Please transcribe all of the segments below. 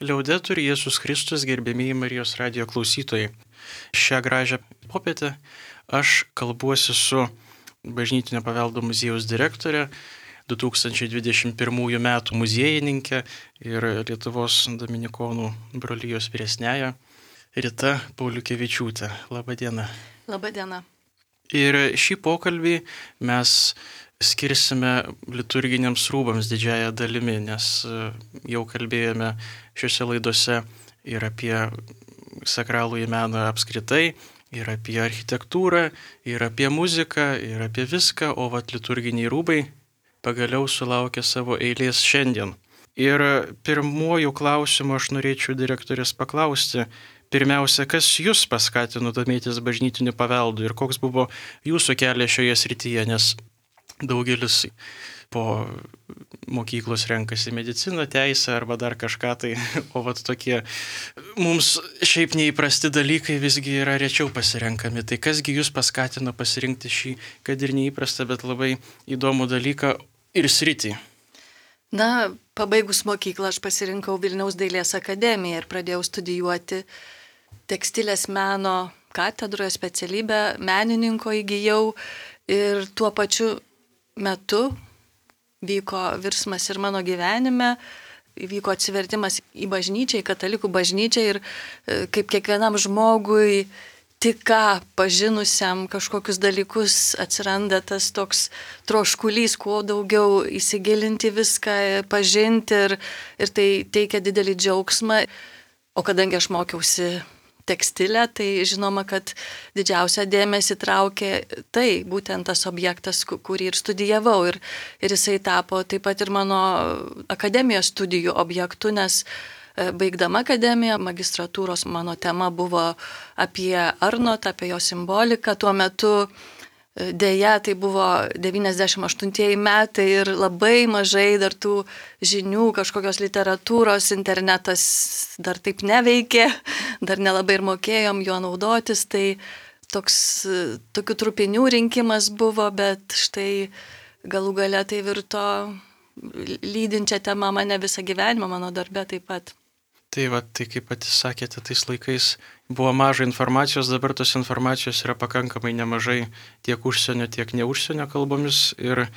Liaudetur Jėzus Kristus, gerbėmieji Marijos radijo klausytojai. Šią gražią popietę aš kalbuosi su Bažnytinio paveldo muziejaus direktorė, 2021 metų muziejininkė ir Lietuvos Dominikonų brolijos vyresnėja Rita Pauliukevičiūtė. Labadiena. Labadiena. Ir šį pokalbį mes skirsime liturginiams rūbams didžiąją dalimi, nes jau kalbėjome šiuose laidose ir apie sakralųjį meną apskritai, ir apie architektūrą, ir apie muziką, ir apie viską, o liturginiai rūbai pagaliau sulaukė savo eilės šiandien. Ir pirmuoju klausimu aš norėčiau direktorės paklausti, pirmiausia, kas jūs paskatino domėtis bažnytiniu paveldu ir koks buvo jūsų kelias šioje srityje, nes daugelis po mokyklos renkasi mediciną, teisę arba dar kažką tai, o tokie mums šiaip neįprasti dalykai visgi yra rečiau pasirenkami. Tai kasgi jūs paskatino pasirinkti šį, kad ir neįprastą, bet labai įdomų dalyką ir sritį? Na, pabaigus mokyklą aš pasirinkau Vilniaus dailės akademiją ir pradėjau studijuoti tekstilės meno katedroje, specialybę menininko įgijau ir tuo pačiu metu vyko virsmas ir mano gyvenime, vyko atsivertimas į bažnyčią, į katalikų bažnyčią ir kaip kiekvienam žmogui tik ką pažinusiam kažkokius dalykus atsiranda tas toks troškulys, kuo daugiau įsigilinti viską, pažinti ir tai teikia didelį džiaugsmą. O kadangi aš mokiausi tekstilę, tai žinoma, kad didžiausią dėmesį traukė tai, būtent tas objektas, kurį ir studijavau. Ir jisai tapo taip pat ir mano akademijos studijų objektu, nes baigdama akademiją, magistratūros mano tema buvo apie Arnotą, apie jo simboliką. Tuo metu deja, tai buvo 98 metai ir labai mažai dar tų žinių, kažkokios literatūros, internetas dar taip neveikė, dar nelabai ir mokėjom juo naudotis, tai tokių trupinių rinkimas buvo, bet štai galų gale tai virto lydinčią temą mane visą gyvenimą, mano darbe taip pat. Tai kaip patys sakėte, tais laikais buvo mažai informacijos, dabar tos informacijos yra pakankamai nemažai tiek užsienio, tiek ne užsienio kalbomis ir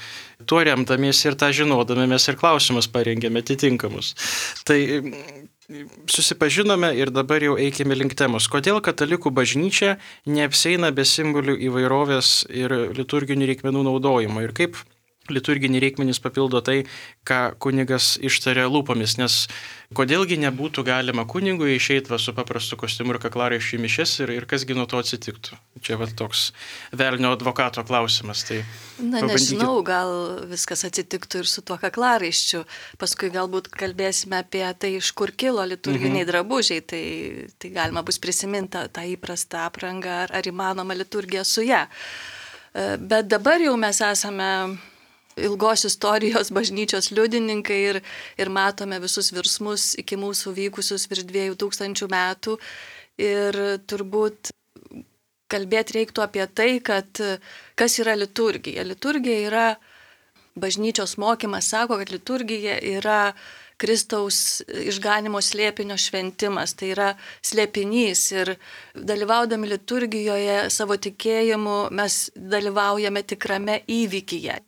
tuo remdamiesi ir tą žinodami mes ir klausimus parengėme atitinkamus. Tai susipažinome ir dabar jau eikime link temos. Kodėl katalikų bažnyčia neapsieina be simbolių įvairovės ir liturginių reikmenų naudojimo ir kaip liturginiai reikmenys papildo tai, ką kunigas ištaria lūpomis, nes kodėlgi nebūtų galima kunigui išeiti su paprastu kostiumu ir kaklaraiščiu į mišias ir kasgi nuo to atsitiktų. Čia toks velnio advokato klausimas. Tai nežinau, gal viskas atsitiktų ir su tuo kaklaraiščiu. Paskui galbūt kalbėsime apie tai, iš kur kilo liturginiai drabužiai, tai galima bus prisiminti tą įprastą aprangą ar įmanoma liturgija su ją. Bet dabar jau mes esame ilgos istorijos bažnyčios liudininkai ir matome visus virsmus iki mūsų vykusius virš 2000 metų. Ir turbūt kalbėti reiktų apie tai, kad kas yra liturgija. Liturgija yra, bažnyčios mokymas sako, kad liturgija yra Kristaus išganimo slėpinio šventimas, tai yra slėpinys ir dalyvaudami liturgijoje savo tikėjimu mes dalyvaujame tikrame įvykyje,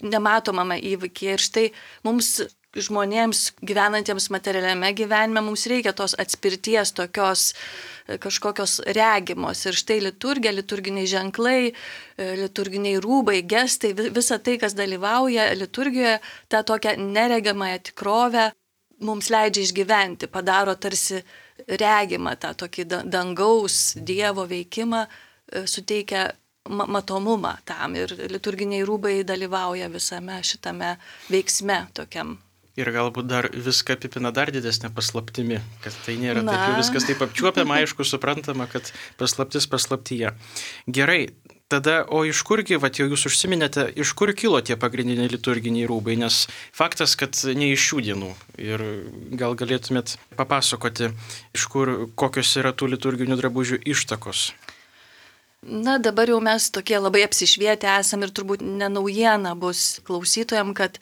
nematomame įvykyje. Ir štai mums žmonėms gyvenantiems materialiame gyvenime mums reikia tos atspirties tokios kažkokios regimos. Ir štai liturgija, liturginiai ženklai, liturginiai rūbai, gestai, visa tai, kas dalyvauja liturgijoje, tą tokią neregiamąją tikrovę mums leidžia išgyventi, padaro tarsi regimą tą tokį dangaus Dievo veikimą, suteikia matomumą tam ir liturginiai rūbai dalyvauja visame šitame veiksme tokiam. Ir galbūt dar viską apipina dar didesnė paslaptimi, kad tai nėra taip jau viskas taip apčiuopiama, aišku, suprantama, kad paslaptis paslaptyje. Gerai, tada, o iš kurgi, jau jūs užsiminėte, iš kur kilo tie pagrindiniai liturginiai rūbai, nes faktas, kad ne iš šių dienų. Ir gal galėtumėt papasakoti, iš kur, kokios yra tų liturginių drabužių ištakos. Na, dabar jau mes tokie labai apsišvietę esam ir turbūt ne naujiena bus klausytojam, kad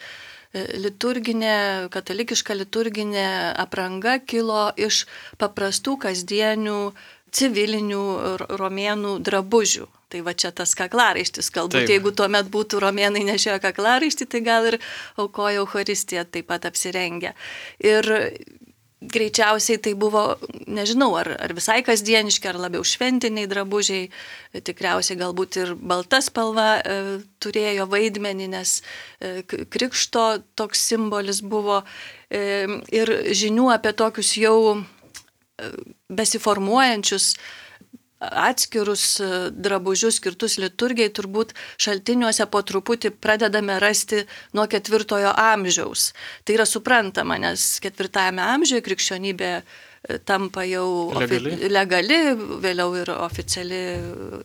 katalikiška liturginė apranga kilo iš paprastų kasdienių civilinių romėnų drabužių. Tai va čia tas kaklaraištis, galbūt Taip. jeigu tuomet būtų romėnai nešioję kaklaraištį, tai gal ir aukojo Eucharistiją taip pat apsirengę. Ir greičiausiai tai buvo, nežinau, ar visai kasdieniški, ar labiau šventiniai drabužiai, tikriausiai galbūt ir balta spalva turėjo vaidmenį, nes krikšto toks simbolis buvo. Ir žinių apie tokius jau besiformuojančius atskirus drabužius skirtus liturgijai turbūt šaltiniuose po truputį pradedame rasti nuo 4 amžiaus. Tai yra suprantama, nes 4 amžiuje krikščionybė tampa jau legali, vėliau ir oficiali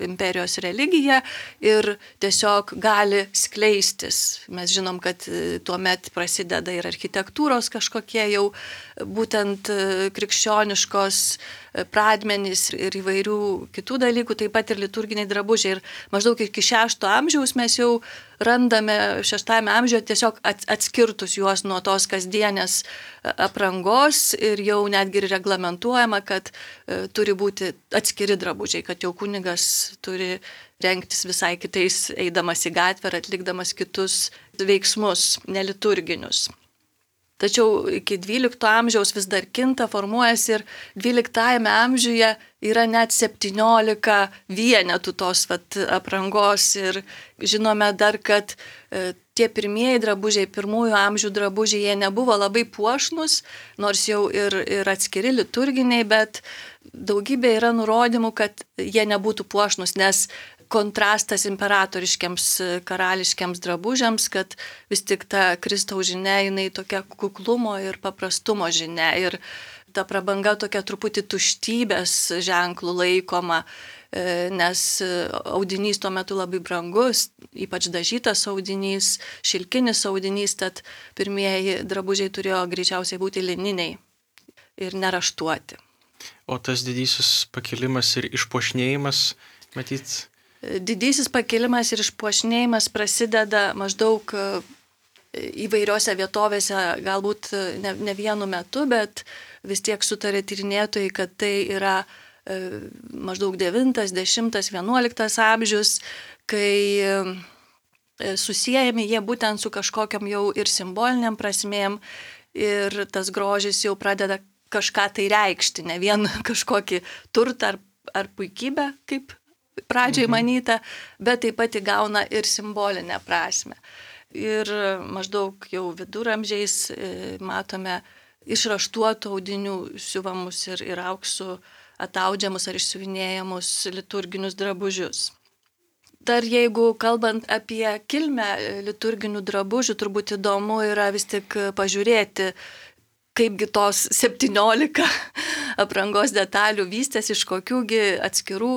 imperijos religija ir tiesiog gali skleistis. Mes žinom, kad tuomet prasideda ir architektūros kažkokie jau būtent krikščioniškos pradmenys ir įvairių kitų dalykų, taip pat ir liturginiai drabužiai. Ir maždaug iki 6 amžiaus mes jau randame 6 amžiuje tiesiog atskirtus juos nuo tos kasdienės aprangos ir jau netgi reglamentuojama, kad turi būti atskiri drabužiai, kad jau kunigas turi rengtis visai kitais, eidamas į gatvę ar atlikdamas kitus veiksmus neliturginius. Tačiau iki 12 amžiaus vis dar kinta, formuojasi ir 12 amžiuje yra net 17 vienetų tos aprangos ir žinome dar, kad tie pirmieji drabužiai, 1 amžių drabužiai, jie nebuvo labai puošnus, nors jau ir atskiri liturginiai, bet daugybė yra nurodymų, kad jie nebūtų puošnus, nes kontrastas imperatoriškiams karališkiams drabužiams, kad vis tik ta Kristaus žinia, jinai tokia kuklumo ir paprastumo žinia ir ta prabanga tokia truputį tuštybės ženklų laikoma, nes audinys tuo metu labai brangus, ypač dažytas audinys, šilkinis audinys, tad pirmieji drabužiai turėjo greičiausiai būti lininiai ir neraštuoti. O tas didysis pakilimas ir išpuošnėjimas, matyt? Didysis pakilimas ir išpuošnėjimas prasideda maždaug įvairiose vietovėse, galbūt ne vienu metu, bet vis tiek sutarė tyrinėtojai, kad tai yra maždaug 9, 10, 11 amžius, kai susijęjami jie būtent su kažkokiam jau ir simboliniam prasmėm ir tas grožis jau pradeda kažką tai reikšti, ne vien kažkokį turtą ar puikybę, kaip pradžiai manyta, bet taip pat įgauna ir simbolinę prasme. Ir maždaug jau viduramžiais matome išraštuotų audinių siuvamus ir auksų ataudžiamus ar išsiuvinėjamus liturginius drabužius. Dar jeigu kalbant apie kilmę liturginių drabužių, turbūt įdomu yra vis tik pažiūrėti, kaipgi tos 17 aprangos detalių vystės, iš kokiųgi atskirų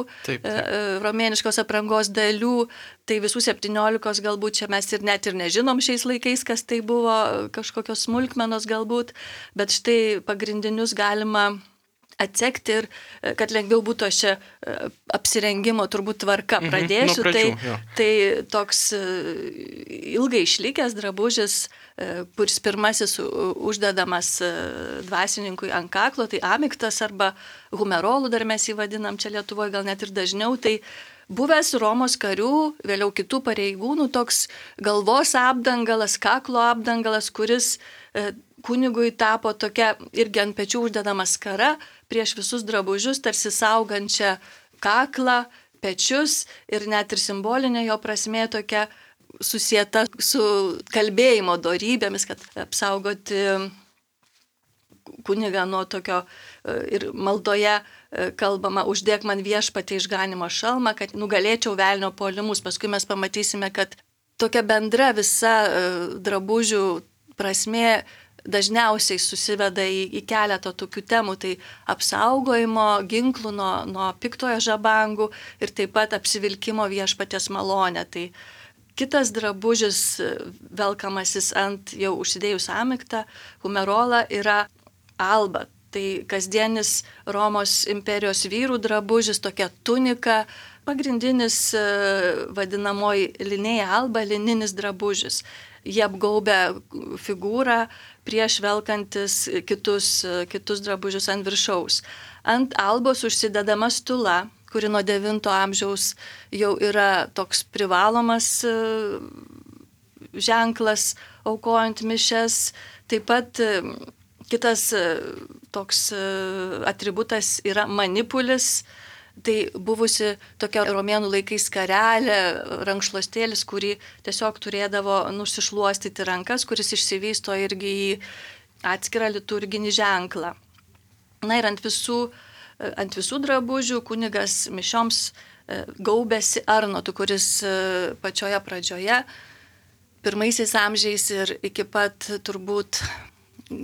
romėniškos aprangos dalių, tai visų 17 galbūt čia mes ir net ir nežinom šiais laikais, kas tai buvo, kažkokios smulkmenos galbūt, bet štai pagrindinius galima atsekti ir kad lengviau būtų aš čia apsirengimo turbūt tvarka pradėsiu, tai toks ilgai išlikęs drabužis, kuris pirmasis uždedamas dvasininkui ant kaklo, tai amiktas arba humerolų, dar mes jį vadinam čia Lietuvoje gal net ir dažniau, tai buvęs Romos karių, vėliau kitų pareigūnų, toks galvos apdangalas, kaklo apdangalas, kuris kunigui tapo tokia irgi ant pečių uždedama skara prieš visus drabužius, tarsi saugančią kaklą, pečius ir net ir simbolinė jo prasmė tokia susieta su kalbėjimo dorybėmis, kad apsaugoti kunigą nuo tokio ir maldoje kalbama, uždėk man viešpatie išganimo šalmą, kad nugalėčiau velnio puolimus. Paskui mes pamatysime, kad tokia bendra visa drabužių prasmė dažniausiai susiveda į keletą tokių temų, tai apsaugojimo ginklų nuo piktojo žabangų ir taip pat apsivilkimo viešpaties malonę. Tai kitas drabužis velkamasis ant jau užsidėjus amiktą, humerolą, yra alba. Tai kasdienis Romos imperijos vyrų drabužis, tokia tunika, pagrindinis vadinamoji linėja alba, lininis drabužis. jie apgaubia figūrą prieš velkantis kitus drabužius ant viršaus. Ant albos užsidedama stula, kuri nuo 9 amžiaus jau yra toks privalomas ženklas aukojant mišias. Taip pat kitas toks atributas yra manipulis. Tai buvusi tokia romėnų laikais skarelė, rankšluostėlis, kurį tiesiog turėdavo nusišluostyti rankas, kuris išsivysto irgi į atskirą liturginį ženklą. Na ir ant visų drabužių kunigas mišioms gaubėsi arnotu, kuris pačioje pradžioje, pirmaisiais amžiais ir iki pat turbūt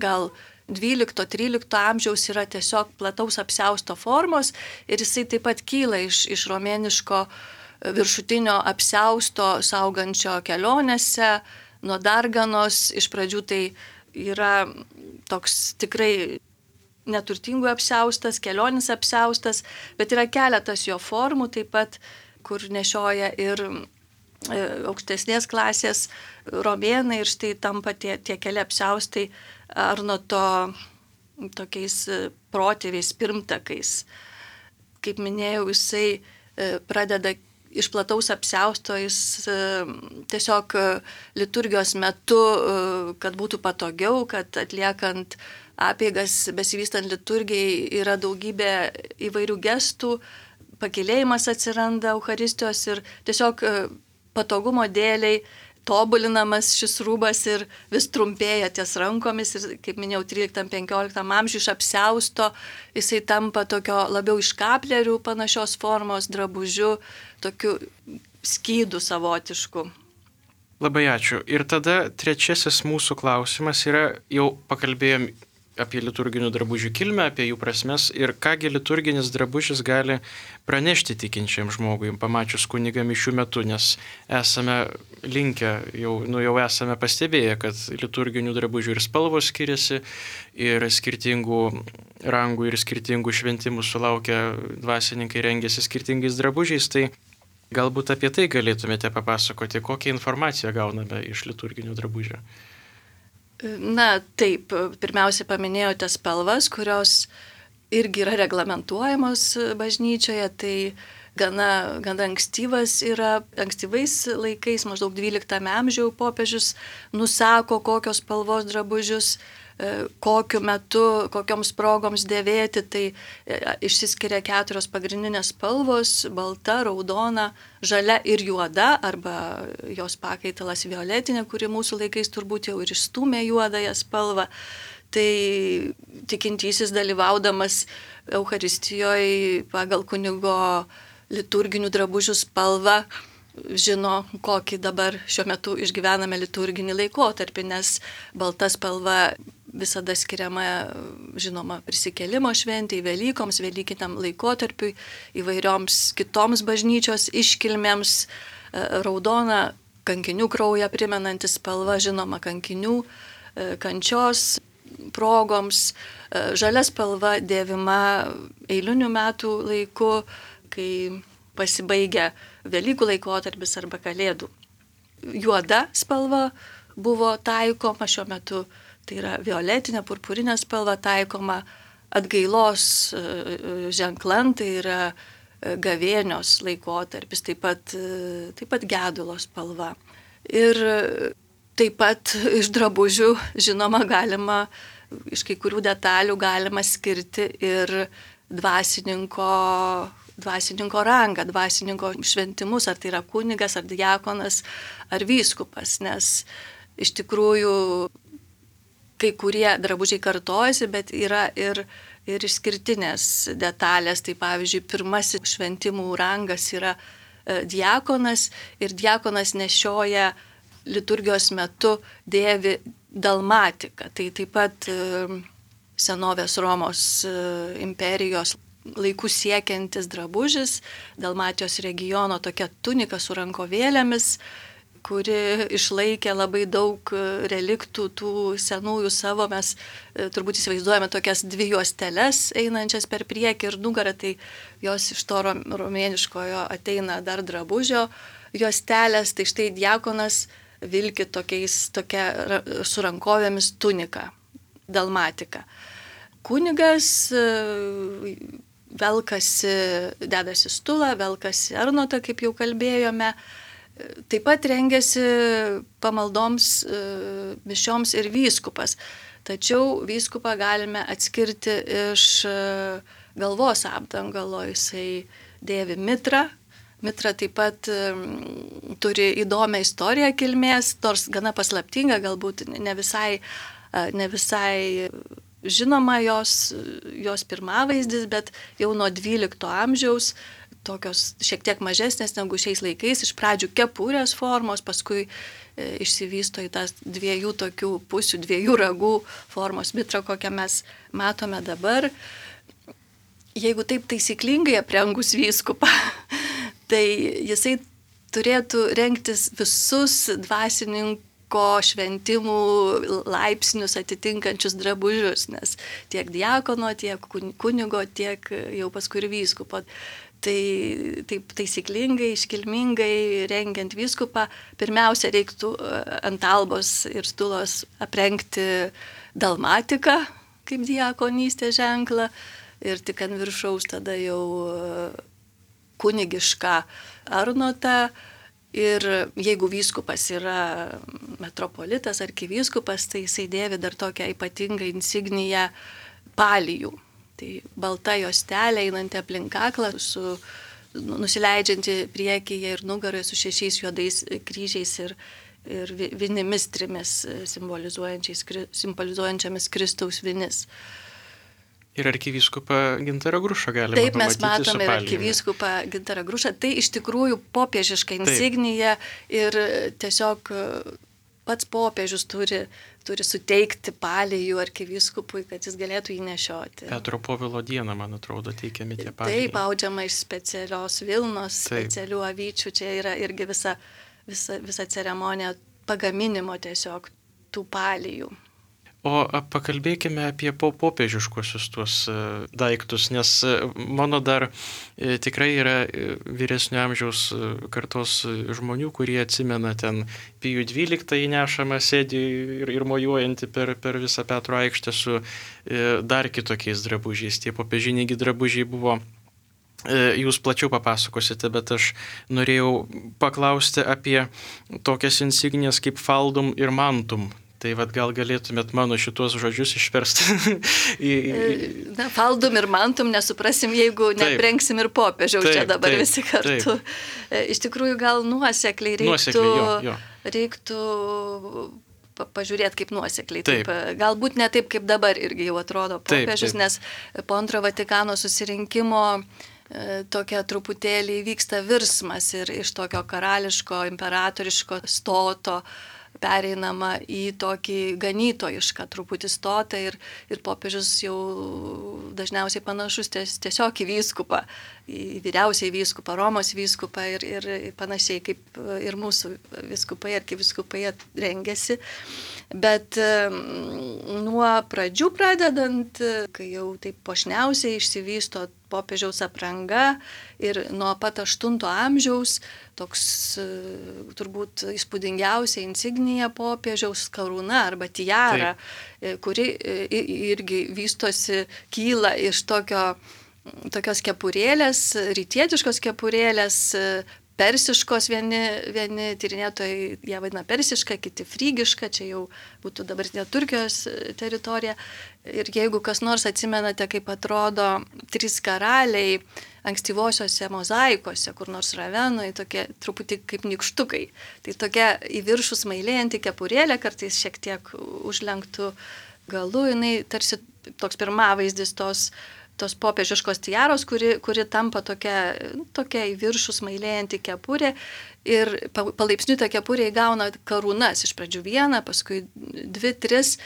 gal 12-13 amžiaus yra tiesiog plataus apsiausto formos ir jisai taip pat kyla iš romėniško viršutinio apsiausto saugančio kelionėse, nuo darganos. Iš pradžių tai yra toks tikrai neturtingų apsiaustas, kelionis apsiaustas, bet yra keletas jo formų taip pat, kur nešioja ir aukštesnės klasės romėnai ir štai tampa tie keli apsiaustai arnoto tokiais protėviais, pirmtakais. Kaip minėjau, jisai pradeda iš plataus apsiausto, jis tiesiog liturgijos metu, kad būtų patogiau, kad atliekant apeigas, besivystant liturgijai, yra daugybė įvairių gestų, pakylėjimas atsiranda Eucharistijos ir tiesiog patogumo dėliai tobulinamas šis rūbas ir vis trumpėja ties rankomis ir, kaip minėjau, 13-15 amžiuje iš apsiausto jisai tampa tokio labiau iš kaplerių panašios formos drabužiu, tokiu skydu savotišku. Labai ačiū. Ir tada trečiasis mūsų klausimas yra, jau pakalbėjom apie liturginių drabužių kilmę, apie jų prasmes ir kągi liturginis drabužis gali pranešti tikinčiam žmogui, pamačius kunigą mišių metu, nes esame linkę, jau esame pastebėję, kad liturginių drabužių ir spalvos skiriasi, ir skirtingų rangų ir skirtingų šventimų sulaukia dvasininkai, rengiasi skirtingais drabužiais, tai galbūt apie tai galėtumėte papasakoti, kokią informaciją gauname iš liturginių drabužių. Na taip, pirmiausia paminėjote spalvas, kurios irgi yra reglamentuojamos bažnyčioje, tai gana ankstyvais laikais, maždaug 12 amžiaus popiežius nusako, kokios spalvos drabužius, kokiu metu, kokioms progoms dėvėti, tai išsiskiria 4 pagrindinės spalvos - balta, raudona, žalia ir juoda, arba jos pakaitalas violetinė, kuri mūsų laikais turbūt jau ir išstūmė juodąją spalvą. Tai tikintysis dalyvaudamas Eucharistijoje pagal kunigo liturginių drabužių spalvą žino, kokį dabar šiuo metu išgyvename liturginį laikotarpį, nes balta spalva visada skiriama, žinoma, prisikėlimo šventei, Velykoms, velykiniam laikotarpiui, įvairioms kitoms bažnyčios iškilmėms, raudona kankinių kraują primenanti spalva, žinoma, kankinių kančios progoms, žalia spalva dėvima eilinių metų laiku, kai pasibaigia Velykų laikotarpis arba Kalėdų. Juoda spalva buvo taikoma šiuo metu, tai yra violetinė, purpurinė spalva taikoma atgailos ženklan, tai yra gavėnios laikotarpis, taip pat gedulo spalva. Ir taip pat iš drabužių, žinoma, iš kai kurių detalių galima skirti ir dvasininko rangą, dvasininko šventimus, ar tai yra kunigas, ar diakonas, ar vyskupas, nes iš tikrųjų kai kurie drabužiai kartojasi, bet yra ir išskirtinės detalės. Tai pavyzdžiui, pirmasis šventimų rangas yra diakonas ir diakonas nešioja liturgijos metu dėvi dalmatiką. Tai taip pat senovės Romos imperijos laikų siekiantis drabužis, Dalmatijos regiono tokia tunika su rankovėlėmis, kuri išlaikė labai daug reliktų tų senųjų savo. Mes turbūt įsivaizduojame tokias 2 juosteles einančias per priekį ir nugarą, tai jos iš to romėniškojo ateina dar drabužio juostelės. Tai štai diakonas vilki su rankovėmis tuniką, dalmatiką. Kunigas velkasi, dedasi stulą, velkasi arnotą, kaip jau kalbėjome. Taip pat rengiasi pamaldoms, mišioms ir vyskupas. Tačiau vyskupą galime atskirti iš galvos apdangalo. Jisai dėvi mitrą. Mitra taip pat turi įdomią istoriją kilmės, nors gana paslaptinga, galbūt ne visai žinoma jos pirmavaizdis, bet jau nuo 12 amžiaus, tokios šiek tiek mažesnės negu šiais laikais, iš pradžių kepurės formos, paskui išsivysto į tas dviejų tokių pusių, dviejų ragų formos mitrą, kokią mes matome dabar. Jeigu taip taisyklingai aprengus vyskupą, tai jisai turėtų rengtis visus dvasininko šventimų laipsnius atitinkančius drabužius, nes tiek diakono, tiek kunigo, tiek jau paskui ir vyskupo. Tai taip taisyklingai, iškilmingai rengiant vyskupą, pirmiausia reiktų ant albos ir stulos aprengti dalmatiką kaip diakonystės ženklą ir tik ant viršaus tada jau kunigišką arnotą. Ir jeigu vyskupas yra metropolitas, arkivyskupas, tai jisai dėvi dar tokią ypatingą insigniją palijų. Tai balta juostelė einanti aplink kaklą, nusileidžianti priekyje ir nugaroje su 6 juodais kryžiais ir vinimis 3 simbolizuojančiamis Kristaus vinis. Ir arkivyskupą Gintarą Grušą galime pamatyti. Taip, mes matome ir arkivyskupą Gintarą Grušą. Tai iš tikrųjų popiežiška insignija ir tiesiog pats popiežius turi suteikti palijų arkivyskupui, kad jis galėtų jį nešioti. Petro Povilo dieną, man atrodo, teikiami tie palijai. Taip, audžiama iš specialios vilnos, specialių avyčių. Čia yra irgi visa ceremonija pagaminimo tiesiog tų palijų. O pakalbėkime apie popiežiškuosius tuos daiktus, nes mano dar tikrai yra vyresnio amžiaus kartos žmonių, kurie atsimena ten Pijų 12 įnešamą sėdį ir mojuojantį per visą Petro aikštę su dar kitokiais drabužiais. Tie popiežiniai drabužiai buvo. Jūs plačiau papasakosite, bet aš norėjau paklausti apie tokias insignijas kaip faldum ir mantum. Tai gal galėtumėt mano šitos žodžius išversti. Na, faldum ir mantum nesuprasim, jeigu neprengsim ir popiežiaus čia dabar visi kartu. Iš tikrųjų, gal nuosekliai reiktų pažiūrėti kaip nuosekliai. Taip. Galbūt ne taip, kaip dabar irgi jau atrodo popiežius, nes po Antro Vatikano susirinkimo tokia truputėlį vyksta virsmas ir iš tokio karališko, imperatoriško stoto pereinama į tokį ganytojišką truputį stotą ir popiežius jau dažniausiai panašus tiesiog į vyskupą, į vyriausiai vyskupą, Romos vyskupą ir panašiai kaip ir mūsų vyskupai, arkivyskupai rengiasi. Bet nuo pradžių pradedant, kai jau taip puošniausiai išsivysto popiežiaus apranga ir nuo pat 8 amžiaus toks turbūt įspūdingiausia insignija popiežiaus karūna arba tiara, kuri irgi vystosi, kyla iš tokios kepurėlės, rytietiškos kepurėlės, persiškos, vieni tyrinėtojai ją vadina persiška, kiti frygiška, čia jau būtų dabartinė Turkijos teritorija. Ir jeigu kas nors atsimenate, kaip atrodo 3 karaliai ankstyvosiose mozaikose, kur nors Ravenoje, tokie truputį kaip nykštukai. Tai tokia į viršų smailėjanti kepurėlė, kartais šiek tiek užlenktų galu, jinai tarsi toks pirmavaizdis tos popiežiškos tiaros, kuri tampa tokia į viršų smailėjanti kepurė ir palaipsniui ta kepurė įgauna karūnas, iš pradžių 1, paskui 2, 3,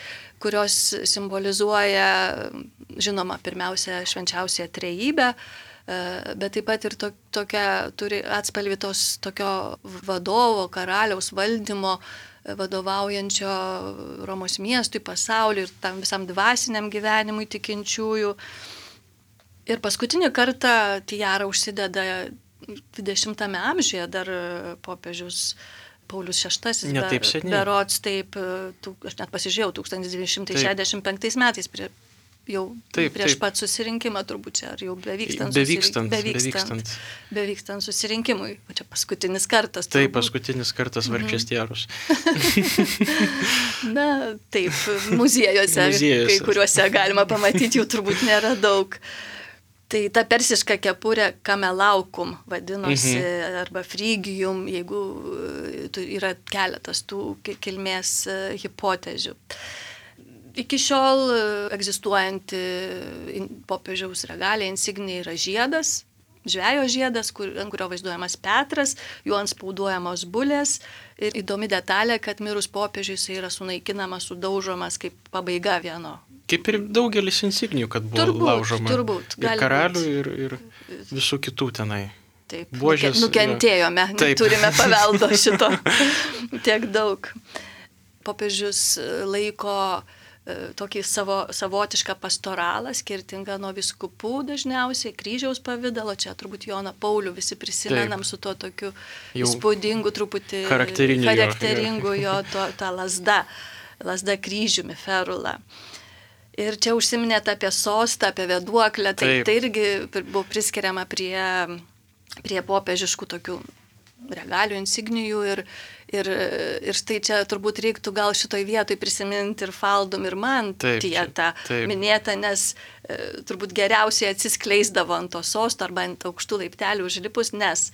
kurios simbolizuoja, žinoma, pirmiausia švenčiausią trejybę, bet taip pat ir turi atspalvį tokio vadovo, karaliaus valdymo, vadovaujančio Romos miestui, pasauliui ir tam visam dvasiniam gyvenimui tikinčiųjų. Ir paskutinį kartą tiara užsideda 20 amžiuje, dar popiežius Paulius VI, Ne taip seniai. berods taip, aš net pasižiūrėjau, 1965 metais jau prieš pat susirinkimą turbūt čia, ar jau bevykstant susirinkimui. O čia paskutinis kartas. Taip, paskutinis kartas vargšės Tierus. Na, taip, muziejuose, kai kuriuose galima pamatyti, jų turbūt nėra daug. Tai ta persiška kepurė kamelaukum vadinosi, arba frygijum, jeigu yra keletas tų kilmės hipotezių. Iki šiol egzistuojanti popiežiaus regalija, insignija yra žiedas, žvejo žiedas, ant kurio vaizduojamas Petras, juo antspauduojamos bulės. Ir įdomi detalė, kad mirus popiežiui jis yra sunaikinamas, sudaužomas kaip pabaiga vieno. Kaip ir daugelis insignijų, kad buvo laužoma. Turbūt. Ir karalių, ir visų kitų tenai. Taip, Buožės, nukentėjome, turime paveldo šito tiek daug. Popiežius laiko tokį savotišką pastoralą, skirtingą nuo vyskupų dažniausiai, kryžiaus pavidalo, čia turbūt Joną Paulių visi prisimenam su tuo tokiu įspūdingu, truputį charakteringu jo tą lasda kryžiumi, ferula. Ir čia užsiminėt apie sostą, apie vėduoklę, tai irgi buvo priskiriama prie popiežiškų tokių regalijų, insignijų ir štai čia turbūt reiktų gal šitoj vietoj prisiminti ir faldum, ir mantiją tą minėtą, nes turbūt geriausiai atsiskleisdavo ant to sosto arba ant aukštų laiptelių užlipus, nes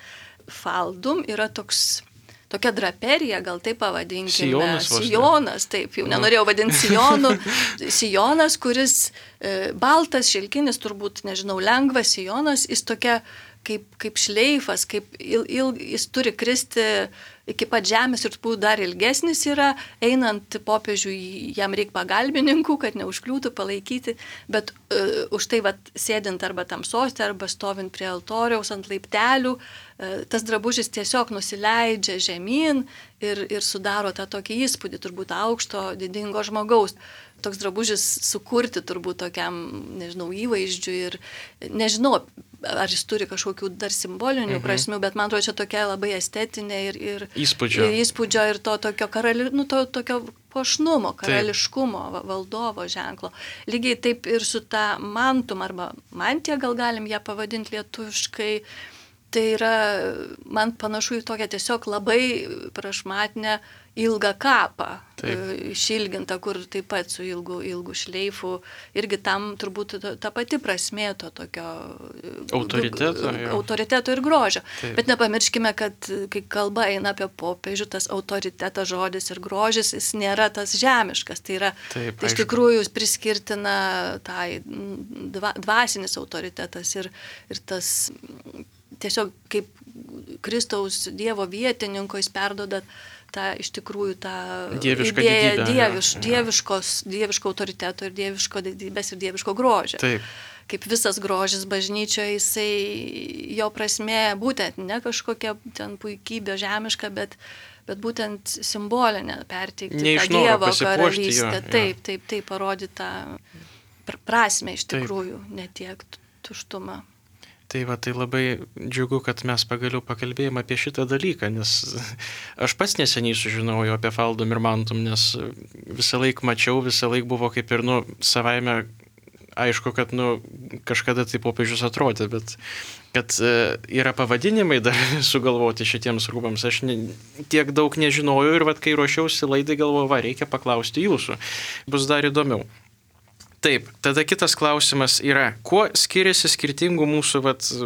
faldum yra tokia draperija, gal taip pavadinkime. Sijonas, taip, jau nenorėjau vadinti sijonu. Sijonas, kuris baltas, šilkinis, turbūt, nežinau, lengvas sijonas, jis tokia kaip šleifas, jis turi kristi iki pat žemės ir dar ilgesnis yra, einant popiežiui jam reikia pagalbininkų, kad neužkliūtų, palaikyti, bet už tai sėdint arba tam soste, arba stovint prie altoriaus ant laiptelių, tas drabužis tiesiog nusileidžia žemyn ir sudaro tą tokį įspūdį, turbūt aukšto, didingo žmogaus. Toks drabužis sukurti turbūt tokiam, nežinau, įvaizdžiui ir nežinau, ar jis turi kažkokių dar simbolinių prasmių, bet man atrodo, čia tokia labai estetinė ir įspūdžio ir to tokio tokio puošnumo, karališkumo, valdovo ženklo. Lygiai taip ir su ta mantum arba mantija, gal galim ją pavadinti lietuviškai. Tai yra, man panašu į tokią tiesiog labai prašmatnę ilgą kapą, išilgintą, kur taip pat su ilgu šleifu, irgi tam turbūt ta pati prasmė to tokio autoriteto ir grožio. Taip. Bet nepamirškime, kad kai kalba eina apie popiežių, tas autoritetas, žodis ir grožis, jis nėra tas žemiškas, tai yra tai iš tikrųjų priskirtina tai dvasinis autoritetas ir tas tiesiog kaip Kristaus Dievo vietininko jis perduoda tą iš tikrųjų tą idėją dieviško autoriteto ir dieviško didybės ir dieviško grožio. Taip. Kaip visas grožis bažnyčioje, jisai jo prasmė būtent ne kažkokia ten puikybė žemiška, bet būtent simbolinė perteikti tą Dievo karalystę. Taip, parodyti tą prasmę iš tikrųjų, ne tiek tuštumą. Tai labai džiugu, kad mes pagaliau pakalbėjome apie šitą dalyką, nes aš pats neseniai sužinojau apie faldum ir mantum, nes visą laiką mačiau, visą laiką buvo kaip ir, savaime aišku, kad, kažkada tai popiežius atrodė, bet kad yra pavadinimai dar sugalvoti šitiems rūbams, aš tiek daug nežinojau ir kai ruošiausi laidai galvojau, reikia paklausti jūsų, bus dar įdomiau. Taip, tada kitas klausimas yra, kuo skiriasi skirtingų mūsų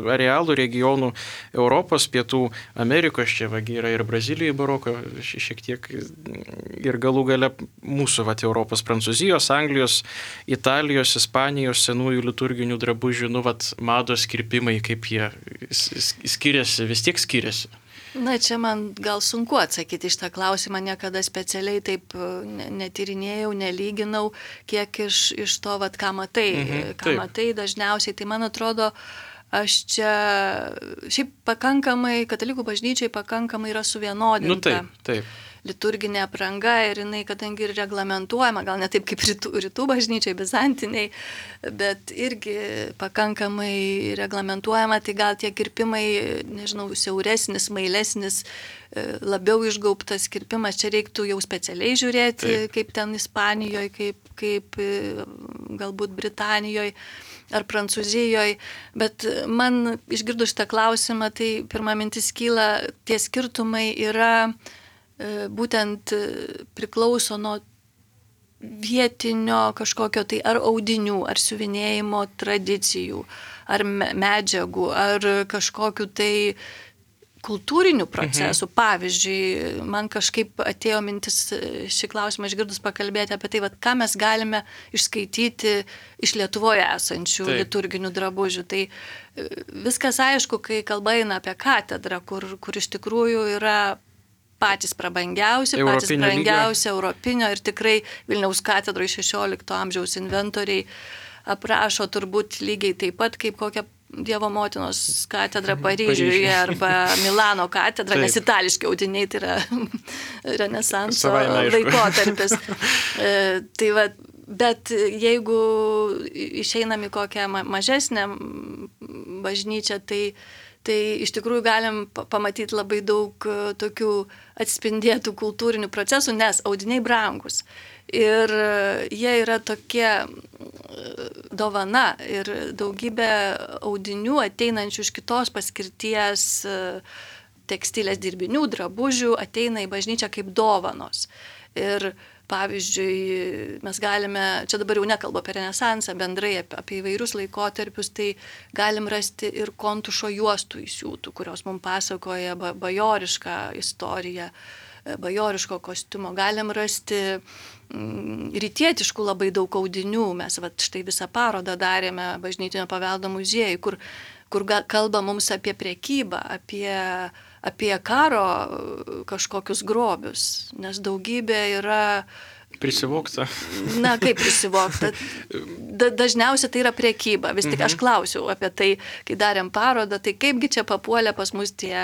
arealų, regionų Europos, Pietų Amerikos, čia yra ir Brazilijai baroko, šiek tiek ir galų gale mūsų Europos, Prancūzijos, Anglijos, Italijos, Ispanijos senųjų liturginių drabužių, mados kirpimai, kaip jie skiriasi, vis tiek skiriasi. Na, čia man gal sunku atsakyti iš tą klausimą, niekada specialiai taip netyrinėjau, nelyginau, kiek iš to, ką matai, matai dažniausiai. Tai man atrodo, aš čia šiaip pakankamai, katalikų bažnyčiai pakankamai yra suvienodinta. Taip. liturginė apranga ir jinai, kadangi ir reglamentuojama, gal ne taip kaip rytų bažnyčiai, bizantiniai, bet irgi pakankamai reglamentuojama, tai gal tie kirpimai, nežinau, siauresnis, mailesnis, labiau išgaubtas kirpimas, čia reiktų jau specialiai žiūrėti, kaip ten Ispanijoje, kaip galbūt Britanijoje ar Prancūzijoje, bet man išgirdus šitą klausimą, tai pirma mintis kyla, tie skirtumai yra būtent priklauso nuo vietinio kažkokio tai ar audinių, ar siuvinėjimo tradicijų, ar medžiagų, ar kažkokių tai kultūrinių procesų. Pavyzdžiui, man kažkaip atėjo mintis šį klausimą išgirdus pakalbėti apie tai, ką mes galime išskaityti iš Lietuvoje esančių liturginių drabužių. Tai viskas aišku, kai kalba eina apie katedrą, kur iš tikrųjų yra patys prabangiausi, patys brangiausi europinio ir tikrai Vilniaus katedroje 16 amžiaus inventoriai aprašo turbūt lygiai taip pat kaip kokią Dievo motinos katedra Paryžiuje arba Milano katedra, nes itališki audiniai tai yra renesanso laikotarpis. Tai va, bet jeigu išeinam į kokią mažesnę bažnyčią, tai iš tikrųjų galim pamatyti labai daug tokių atspindėtų kultūrinių procesų, nes audiniai brangus. Ir jie yra tokie dovana ir daugybė audinių ateinančių iš kitos paskirties tekstilės dirbinių, drabužių ateina į bažnyčią kaip dovanos. Ir pavyzdžiui, mes galime, čia dabar jau nekalbu apie renesansą, bendrai apie įvairius laikotarpius, tai galim rasti ir kontušo juostų įsiūtų, kurios mums pasakoja bajorišką istoriją, bajoriško kostiumo. Galim rasti rytietiškų labai daug audinių. Mes štai visą parodą darėme Bažnytinio paveldo muziejui, kur kalba mums apie prekybą, apie karo kažkokius grobius, nes daugybė yra prisivokta. Na, kaip prisivokta? Dažniausiai tai yra prekyba. Vis tik aš klausiau apie tai, kai darėm parodą, tai kaipgi čia papuolė pas mus tie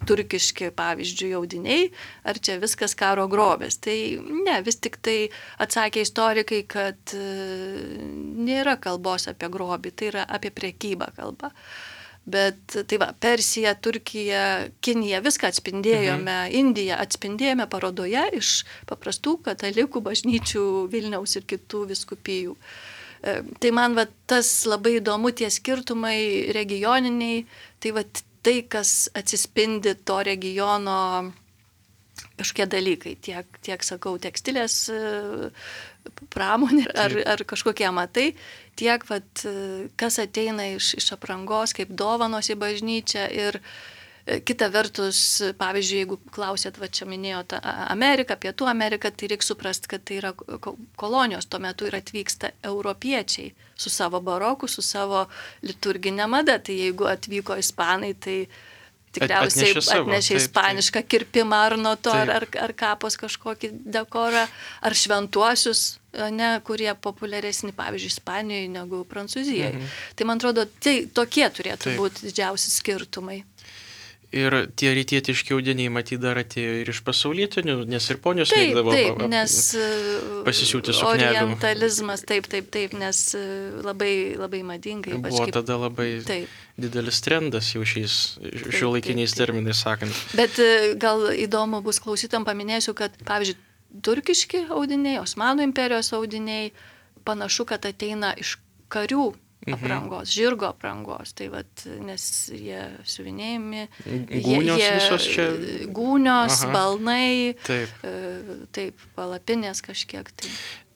turkiški, pavyzdžiui, audiniai, ar čia viskas karo grobės. Tai ne, vis tik tai atsakė istorikai, kad nėra kalbos apie grobį, tai yra apie prekybą kalba. Bet tai va, Persija, Turkija, Kinija, viską atspindėjome, Indiją atspindėjome parodoje iš paprastų katalikų bažnyčių Vilniaus ir kitų vyskupijų. Tai man va, tas labai įdomu, tie skirtumai regioniniai, tai va, tai, kas atsispindi to regiono kažkokie dalykai, tiek sakau, tekstilės pramonė ar kažkokie amatai, tiek, vat, kas ateina iš aprangos, kaip dovanos į bažnyčią ir kita vertus, pavyzdžiui, jeigu klausėt, va čia minėjote Ameriką, Pietų Ameriką, tai reikia suprasti, kad tai yra kolonijos, tuo metu ir atvyksta europiečiai su savo baroku, su savo liturginė mada, tai jeigu atvyko ispanai, tai tikriausiai atnešė ispanišką kirpimą ar nuo to, ar kapos kažkokį dekorą, ar šventuosius, ne, kurie populiaresni, pavyzdžiui, Ispanijoje negu Prancūzijoje. Tai man atrodo, tai tokie turėtų būti didžiausi skirtumai. Ir tie rytietiški audiniai matyt dar atėjo ir iš pasaulietinių, nes ir ponios mėgdavo pasisiūti suknelių. Orientalizmas, taip, nes labai, labai madingai. Buvo tada labai didelis trendas jau šiuolaikiniais terminais sakant. Bet gal įdomu bus klausytam, paminėsiu, kad, pavyzdžiui, turkiški audiniai, Osmanų imperijos audiniai, panašu, kad ateina iš karių aprangos, žirgo aprangos, tai vat, nes jie siuvinėjami, gūnios, balnai, taip, palapinės kažkiek.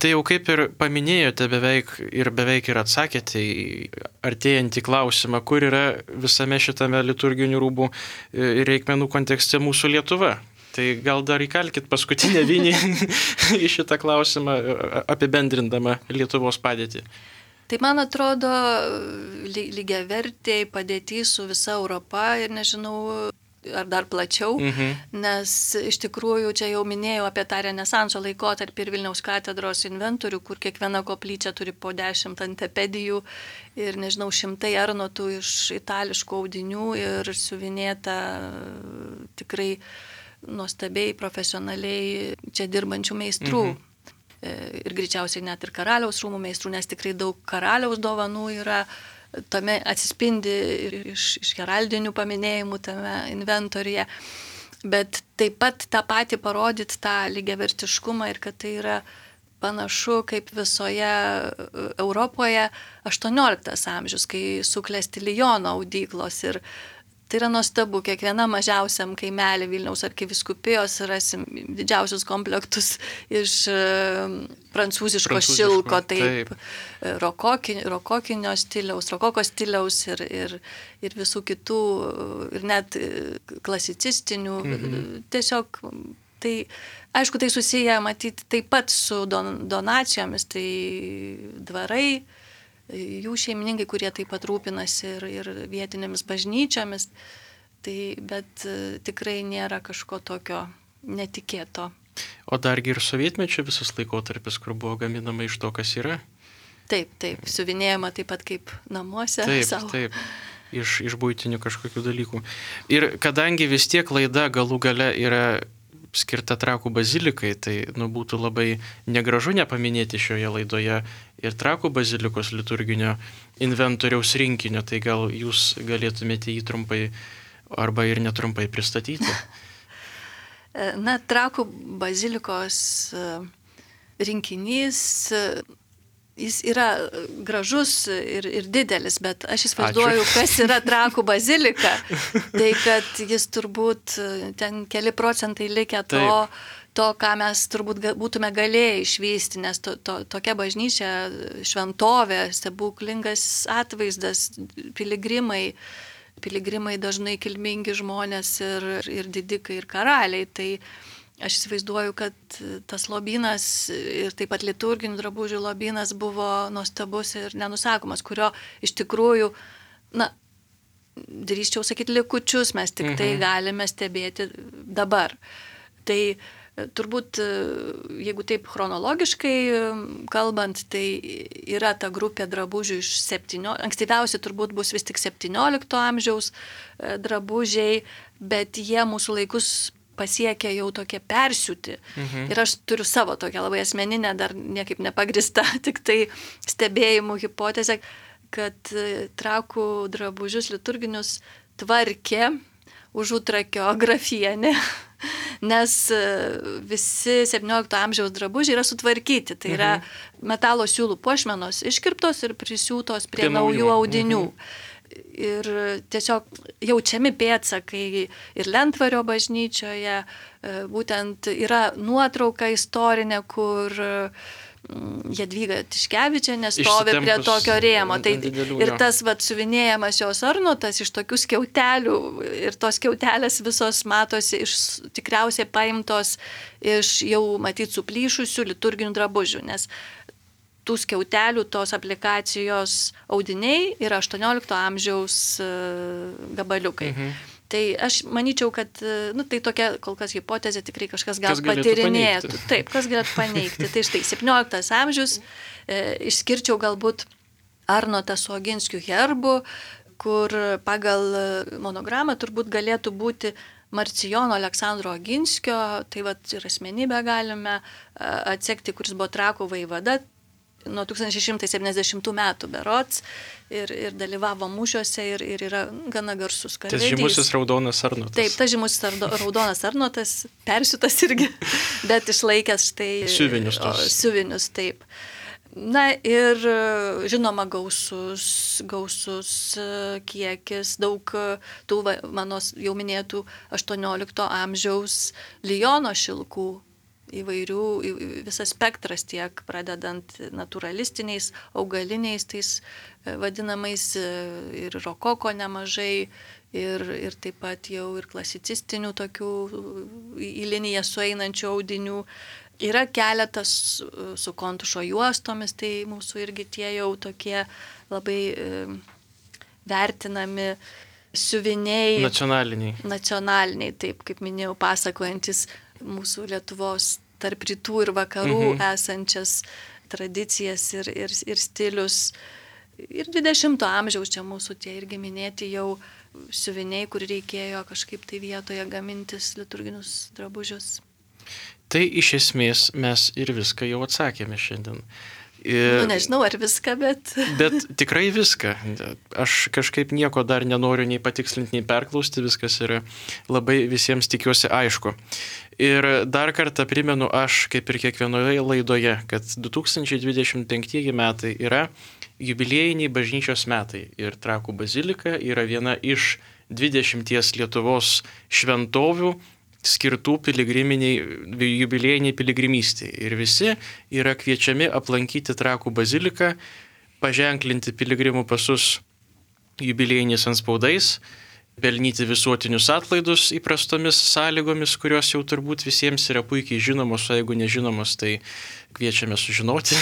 Tai jau kaip ir paminėjote beveik ir atsakėte į artėjantį klausimą, kur yra visame šitame liturginių rūbų ir reikmenų kontekste mūsų Lietuva. Tai gal dar įkalkit paskutinę vinį į šitą klausimą, apibendrindama Lietuvos padėtį. Tai man atrodo lygiavertė padėtis su visa Europa ir nežinau, ar dar plačiau, nes iš tikrųjų čia jau minėjau apie tą renesanso laikotarpį ir Vilniaus katedros inventorių, kur kiekviena koplyčia turi po 10 antepedijų ir nežinau, 100 arnotų iš itališkų audinių ir siuvinėta tikrai nuostabiai, profesionaliai čia dirbančių meistrų. Ir greičiausiai net ir karaliaus rūmų meistrų, nes tikrai daug karaliaus dovanų yra, tame atsispindi ir iš heraldinių paminėjimų tame inventoriuje. Bet taip pat tą patį parodyti tą lygiavertiškumą ir kad tai yra panašu kaip visoje Europoje 18 amžius, kai suklesti Liono audyklos. Ir tai yra nuostabu, kiekviena mažiausiam kaimelį Vilniaus arkivyskupijos rasim didžiausius komplektus iš prancūziško šilko, taip. Rokokinio stiliaus, rokoko stiliaus ir visų kitų, ir net klasicistinių. Tiesiog tai, aišku, tai susiję matyti taip pat su donacijomis, tai dvarai, jų šeimininkai, kurie taip pat rūpinasi ir vietinėmis bažnyčiomis, bet tikrai nėra kažko tokio netikėto. O dargi ir sovietmečio visas laikotarpis, kur buvo gaminama iš to, kas yra? Taip, siuvinėjama taip pat kaip namuose. Taip, iš buitinių kažkokių dalykų. Ir kadangi vis tiek laida galų gale yra skirta Trakų bazilikai, tai būtų labai negražu nepaminėti šioje laidoje ir Trakų bazilikos liturginio inventoriaus rinkinio, tai gal jūs galėtumėte jį trumpai arba ir netrumpai pristatyti? Na, Trakų bazilikos rinkinys, jis yra gražus ir didelis, bet aš įsivaizduoju, kas yra Trakų bazilika, tai kad jis turbūt ten keli procentai likę to, ką mes turbūt būtume galėję išvysti, nes tokia bažnyčia, šventovė, stebuklingas atvaizdas, piligrimai dažnai kilmingi žmonės ir didikai ir karaliai, tai aš įsivaizduoju, kad tas lobynas ir taip pat liturginių drabužių lobynas buvo nuostabus ir nenusakomas, kurio iš tikrųjų, drįsčiau sakyti, likučius mes tik tai galime stebėti dabar. Tai turbūt, jeigu taip chronologiškai kalbant, tai yra ta grupė drabužių iš ankstyviausi turbūt bus vis tik 17 amžiaus drabužiai, bet jie mūsų laikus pasiekia jau tokie persiūti. Ir aš turiu savo tokią labai asmeninę, dar niekaip nepagrįstą, tik tai stebėjimų hipotezę, kad Trakų drabužius liturginius tvarkė Užutrakio grafienė, nes visi 17 amžiaus drabužiai yra sutvarkyti. Tai yra metalo siūlų puošmenos iškirptos ir prisiūtos prie naujų audinių. Ir tiesiog jaučiami pėdsakai ir Lentvario bažnyčioje, būtent yra nuotrauka istorinė, kur Jadvyga Tiškevičienė stovi prie tokio rėmo. Tai ir tas suvinėjamas jos arnotas iš tokių skiautelių, ir tos skiautelės visos matosi tikriausiai paimtos iš jau matyt suplyšusių liturginių drabužių, nes tų skiautelių, tos aplikacijos audiniai yra 18 amžiaus gabaliukai. Tai aš manyčiau, kad tai tokia kol kas hipotezė, tikrai kažkas gal patyrinėtų. Taip, kas galėtų paneigti. Tai štai 17 amžius, išskirčiau galbūt Arnotą su Oginskių herbu, kur pagal monogramą turbūt galėtų būti Marcijono Aleksandro Oginskio, tai ir asmenybę galime atsekti, kuris buvo Trakų vaivada nuo 1670 metų berods ir dalyvavo mūšiuose ir yra gana garsus karvedys. Tas žymusis raudonas Arnotas. Taip, tas žymusis raudonas Arnotas, persiūtas irgi, bet išlaikęs štai siuvinius, taip. Na ir žinoma gausus kiekis, daug tų mano jau minėtų 18 amžiaus Liono šilkų, įvairių, visas spektras tiek pradedant naturalistiniais, augaliniais, tais vadinamais ir rokoko nemažai ir taip pat jau ir klasicistinių tokių į liniją sueinančių audinių. Yra keletas su kontušo juostomis, tai mūsų irgi tie jau tokie labai vertinami siuviniai. Nacionaliniai, taip, kaip minėjau, pasakojantis mūsų Lietuvos tarp rytų ir vakarų esančias tradicijas ir stilius. Ir 20 amžiaus čia mūsų tie irgi minėti jau siuviniai, kur reikėjo kažkaip tai vietoje gamintis liturginius drabužius. Tai iš esmės mes ir viską jau atsakėme šiandien. Nežinau, ar viską, bet... Bet tikrai viską. Aš kažkaip nieko dar nenoriu nei patikslinti, nei perklausti, viskas yra labai visiems tikiuosi aišku. Ir dar kartą primenu aš, kaip ir kiekvienoje laidoje, kad 2025 metai yra jubiliejiniai bažnyčios metai. Ir Trakų bazilika yra viena iš 20 Lietuvos šventovių, skirtų jubiliejiniai piligrimystei. Ir visi yra kviečiami aplankyti Trakų baziliką, paženklinti piligrimų pasus jubiliejiniais antspaudais, pelnyti visuotinius atlaidus įprastomis sąlygomis, kurios jau turbūt visiems yra puikiai žinomos, o jeigu nežinomos, tai kviečiame sužinoti.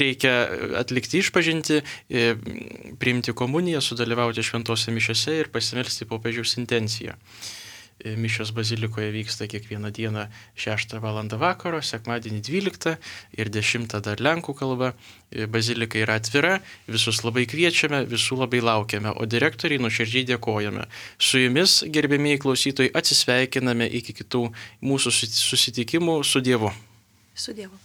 Reikia atlikti išpažintį, priimti komuniją, sudalyvauti šventose mišiose ir pasimelsti popiežiaus intenciją. Mišios bazilikoje vyksta kiekvieną dieną 6 val. Vakaro, sekmadienį 12 ir 10 dar lenkų kalba. Bazilika yra atvira, visus labai kviečiame, visų labai laukiame, o direktoriai nuoširdžiai dėkojame. Su jumis, gerbėmieji klausytojai, atsisveikiname iki kitų mūsų susitikimų su Dievu. Su Dievu.